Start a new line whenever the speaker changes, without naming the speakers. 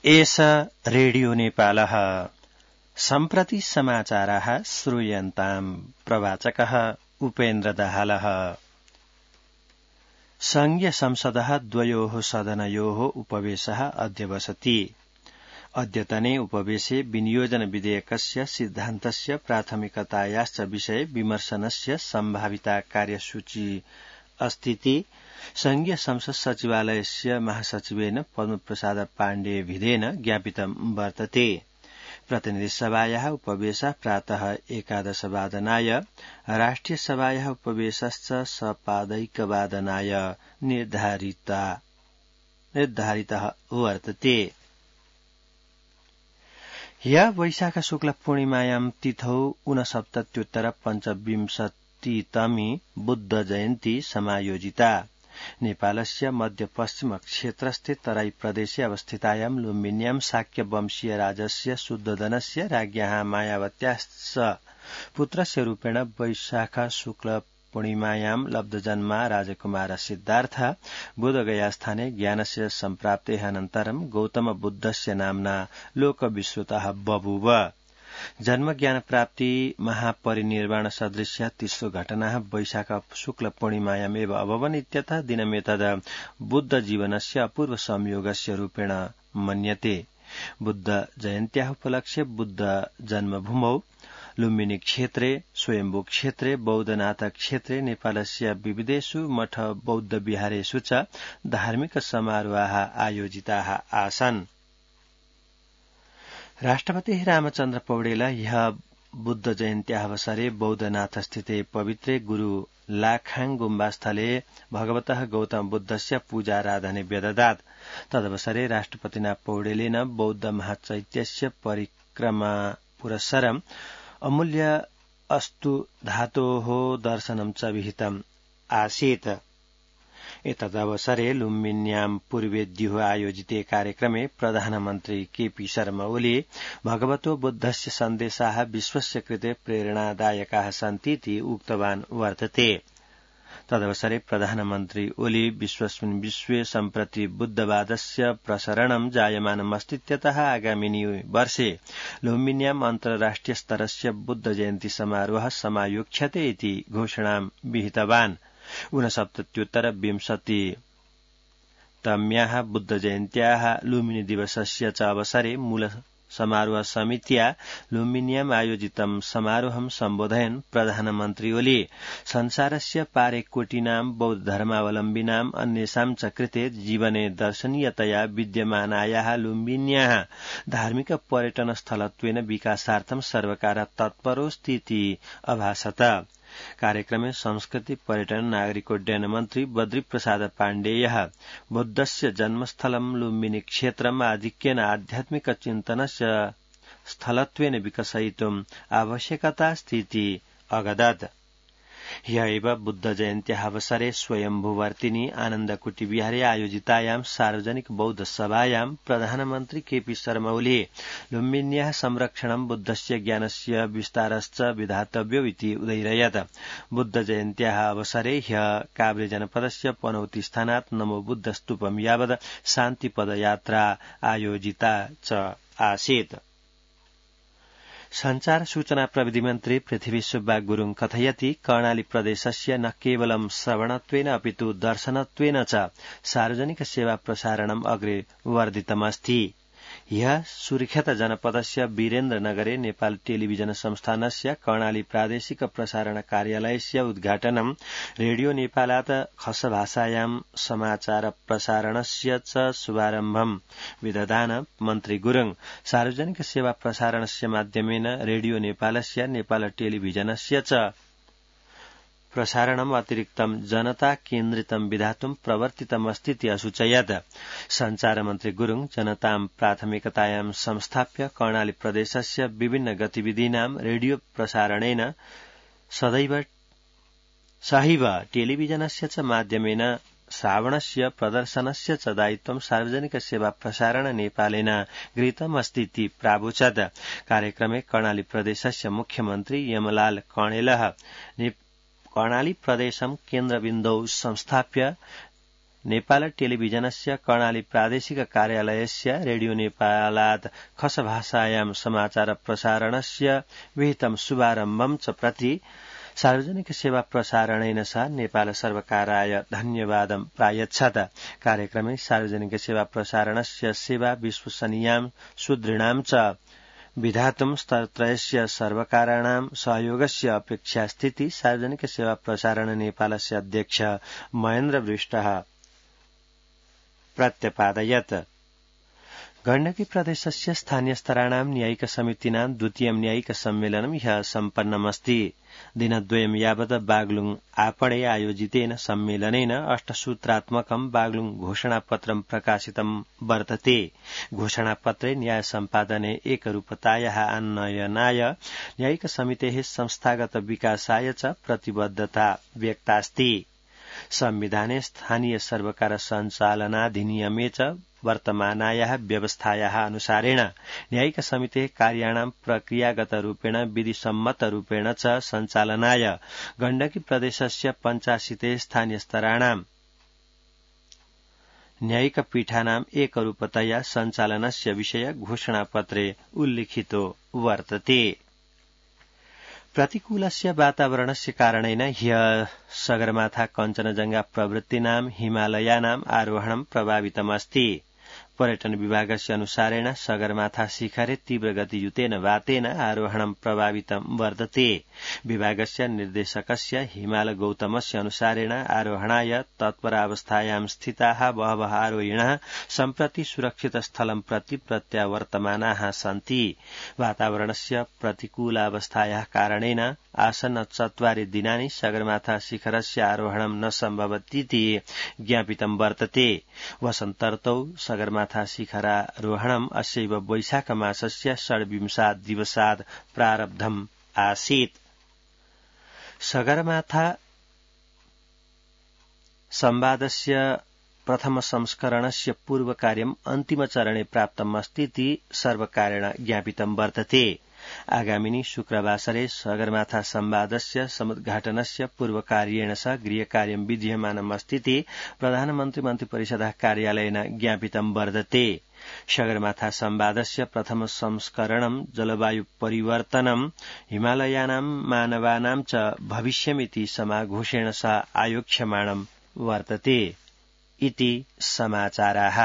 एष रेडियो नेपालः सम्प्रति समाचाराः श्रूयन्ताम् प्रवाचकः उपेन्द्र दाहालः। संघीय संसदः द्वयोः सदनयोः उपवेशः अद्य वसति। अद्यतने उपवेशे विनियोजन विधेयकस्य सिद्धान्तस्य प्राथमिकतायाश्च विषये विमर्शनस्य सम्भाविता कार्यसूची अस्तीति संघीय संसद सचिवालयस्य महासचिवेन पद्मप्रसाद पाण्डेयभिधेन ज्ञापितं वर्तते। प्रतिनिधिसभायाः उपवेशः प्रातः 11 वादनाय, राष्ट्रिय सभायाः उपवेशश्च सपादैकवादनाय निर्धारितः वर्तते। ह्यः वैशाख शुक्ल पूर्णिमायां तिथौ 69 बुद्ध जयन्ती समायोजिता। नेपालस्य मध्यपश्चिम क्षेत्रस्थे तराई प्रदेशे अवस्थितायां लुम्बिन्यां शाक्य वंशीय राजस्य शुद्धोदनस्य राज्ञः मायावत्याश्च पुत्रस्य रूपेण वैशाख शुक्ल पूर्णिमायां लब्धजन्मा राजकुमार सिद्धार्थ बोधगयास्थाने ज्ञानस्य सम्प्राप्तेः अनन्तरं गौतम बुद्धस्य नाम्ना लोकविश्रुतः बभूव। जन्म ज्ञान प्राप्ति महापरिनिर्वाण सदृश्य तेस्रो घटना वैशाख शुक्ल पूर्णिमायामेव अभवन् इत्यतः दिनमेतद् बुद्ध जीवनस्य अपूर्व संयोगस्य रूपेण मन्यते। बुद्ध जयन्त्याः उपलक्ष्ये बुद्ध जन्मभूमौ लुम्बिनी क्षेत्रे, स्वयम्भू क्षेत्रे, बौद्धनाथ क्षेत्रे नेपालस्य विविधेषु मठ बौद्ध विहारेषु च धार्मिक समारोहाः आयोजिताः आसन्। राष्ट्रपति रामचन्द्र पौडेल ह्यः बुद्ध जयन्त्याः अवसरे बौद्धनाथ स्थिते पवित्रे गुरु लाखाङ गुम्बास्थले भगवतः गौतम बुद्धस्य पूजाराधने व्यददात्। तदवसरे राष्ट्रपतिना पौडेलेन बौद्ध महाचैत्यस्य परिक्रमा पुरस्सरम् अमूल्य अस्तु धातोः दर्शनं च विहितम् आसीत्। एतदवसरे लुम्बिन्यां पूर्वेद्युः आयोजिते कार्यक्रमे प्रधानमन्त्री केपी शर्मा ओली भगवतो बुद्धस्य सन्देशाः विश्वस्य कृते प्रेरणादायकाः सन्तीति उक्तवान् वर्तते। तदवसरे प्रधानमन्त्री ओली विश्वस्मिन् विश्वे सम्प्रति बुद्धवादस्य प्रसरणं जायमानमस्तीत्यतः आगामिनि वर्षे लुम्बिन्याम् अन्तर्राष्ट्रिय स्तरस्य बुद्ध जयन्ती समारोहः समायोक्ष्यते इति घोषणां विहितवान्। 69तम्याः बुद्ध जयन्त्याः लुम्बिनी दिवसस्य च अवसरे मूल समारोह समित्या लुम्बिन्याम् आयोजितं समारोहं सम्बोधयन् प्रधानमन्त्री ओली संसारस्य पारेकोटिनां बौद्ध धर्मावलम्बिनाम् अन्येषां च कृते जीवने दर्शनीयतया विद्यमानायाः लुम्बिन्याः धार्मिक पर्यटन स्थलत्वेन विकासार्थं सर्वकारः तत्परोऽस्तीति अभाषत। कार्यक्रमे संस्कृति पर्यटन नागरिकोड्डयन मन्त्री बद्रीप्रसाद पाण्डेयः बुद्धस्य जन्मस्थलं लुम्बिनी क्षेत्रम् आधिक्येन आध्यात्मिक चिन्तनस्य स्थलत्वेन विकसयितुम् आवश्यकतास्तीति अगदत्। ह्यः एव बुद्ध जयन्त्याः अवसरे स्वयम्भूवर्तिनि आनन्दकुटी विहारे आयोजितायां सार्वजनिक बौद्ध सभायां प्रधानमन्त्री केपी शर्मा ओली लुम्बिन्याः संरक्षणं बुद्धस्य ज्ञानस्य विस्तारश्च विधातव्यो इति उदयिरयत्। बुद्ध जयन्त्याः अवसरे ह्यः काभ्रे जनपदस्य पनौती स्थानात् नमो बुद्ध स्तूपं यावत् शान्तिपदयात्रा आयोजिता च आसीत्। संचार सूचना प्रविधि मन्त्री पृथ्वी सुब्बा गुरुङ कथयति कर्णाली प्रदेशस्य न केवलं श्रवणत्वेन अपितु दर्शनत्वेन च सार्वजनिक सेवा प्रसारणम् अग्रे वर्धितमस्ति। ह्यः सुर्खेत जनपदस्य वीरेन्द्रनगरे नेपाल टेलिभिजन संस्थानस्य कर्णाली प्रादेशिक प्रसारण कार्यालयस्य उद्घाटनं रेडियो नेपालात् खस भाषायां समाचार प्रसारणस्य च शुभारम्भं विदधान मन्त्री गुरुङ सार्वजनिक सेवा प्रसारणस्य माध्यमेन रेडियो नेपालस्य नेपाल टेलिभिजनस्य च प्रसारणम् अतिरिक्तं जनता केन्द्रितं विधातुं प्रवर्तितमस्तीति असूचयत्। संचार मन्त्री गुरुङ जनतां प्राथमिकतायां संस्थाप्य कर्णाली प्रदेशस्य विभिन्न गतिविधीनां रेडियो प्रसारणेन सहैव टेलिभिजनस्य च माध्यमेन श्रावणस्य प्रदर्शनस्य च दायित्वं सार्वजनिक सेवा प्रसारण नेपालेन गृहीतमस्तीति प्रावोचत्। कार्यक्रमे कर्णाली प्रदेशस्य मुख्यमन्त्री यमलाल कणेलः कर्णाली प्रदेशं केन्द्रबिन्दौ संस्थाप्य नेपाल टेलिभिजनस्य कर्णाली प्रादेशिक कार्यालयस्य रेडियो नेपालात् खसभाषायां समाचार प्रसारणस्य विहितं शुभारम्भं च प्रति सार्वजनिक सेवा प्रसारणेन सह नेपाल सर्वकाराय धन्यवादं प्रायच्छत। कार्यक्रमे सार्वजनिक सेवा प्रसारणस्य सेवा विश्वसनीयां सुदृढां च विधातुं स्तरत्रयस्य सर्वकाराणां सहयोगस्य अपेक्षा स्थिति सार्वजनिक सेवा प्रसारण नेपालस्य अध्यक्ष महेन्द्र विष्टः प्रत्यपादयत्। गण्डकी प्रदेशस्य स्थानीयस्तराणां न्यायिक समितीनां द्वितीयं न्यायिक सम्मेलनं ह्यः सम्पन्नमस्ति। दिनद्वयं यावत् बागलुङ आपणे आयोजितेन सम्मेलनेन 8 सूत्रात्मकं बागलुङ घोषणापत्रं प्रकाशितं वर्तते। घोषणापत्रे न्याय सम्पादने एकरूपतायाः आनयनाय न्यायिक समितेः संस्थागत विकासाय च प्रतिबद्धता व्यक्तास्ति। संविधाने स्थानीय सर्वकार सञ्चालनाधिनियमे च वर्तमानायाः व्यवस्थायाः अनुसारेण न्यायिक समितेः कार्याणां प्रक्रियागतरूपेण विधिसम्मतरूपेण च सञ्चालनाय गण्डकी प्रदेशस्य 85 स्थानीयस्तराणां न्यायिक पीठानां एकरूपतया सञ्चालनस्य विषय घोषणापत्रे उल्लिखितो वर्तते। प्रतिकूलस्य वातावरणस्य कारणेन ह्यः सगरमाथा कञ्चनजङ्घा प्रवृत्तीनां हिमालयानाम् आरोहणं प्रभावितमस्ति। पर्यटन विभागस्य अनुसारेण सगरमाथा शिखरे तीव्र गतियुतेन वातेन आरोहणं प्रभावितं वर्तते। विभागस्य निर्देशकस्य हिमाल गौतमस्य अनुसारेण आरोहणाय तत्परावस्थायां स्थिताः बहवः आरोहिणः सम्प्रति सुरक्षित स्थलं प्रति प्रत्यावर्तमानाः सन्ति। वातावरणस्य प्रतिकूलावस्थायाः कारणेन आसन्न 4 दिनानि सगरमाथा शिखरस्य आरोहणं न सम्भवतीति ज्ञापितं वर्तते। वसन्तर्तौ सगरमाथा शिखरारोहणम् अस्यैव वैशाख मासस्य 26 दिवसात् प्रारब्धम् आसीत्। सगरमाथा संवादस्य प्रथम संस्करणस्य पूर्वकार्यम् अन्तिमचरणे प्राप्तमस्तीति सर्वकारेण ज्ञापितं वर्तते। आगामिनी शुक्रवासरे सगरमाथा संवादस्य समुद्घाटनस्य पूर्वकार्येण सह गृहकार्यं विधीयमानमस्तीति प्रधानमन्त्री मन्त्रिपरिषदः कार्यालयेन ज्ञापितं वर्तते। सगरमाथा संवादस्य प्रथम संस्करणं जलवायु परिवर्तनं हिमालयानां मानवानां च भविष्यमिति समाघोषेण सह आयोक्ष्यमाणं वर्तते इति समाचाराः।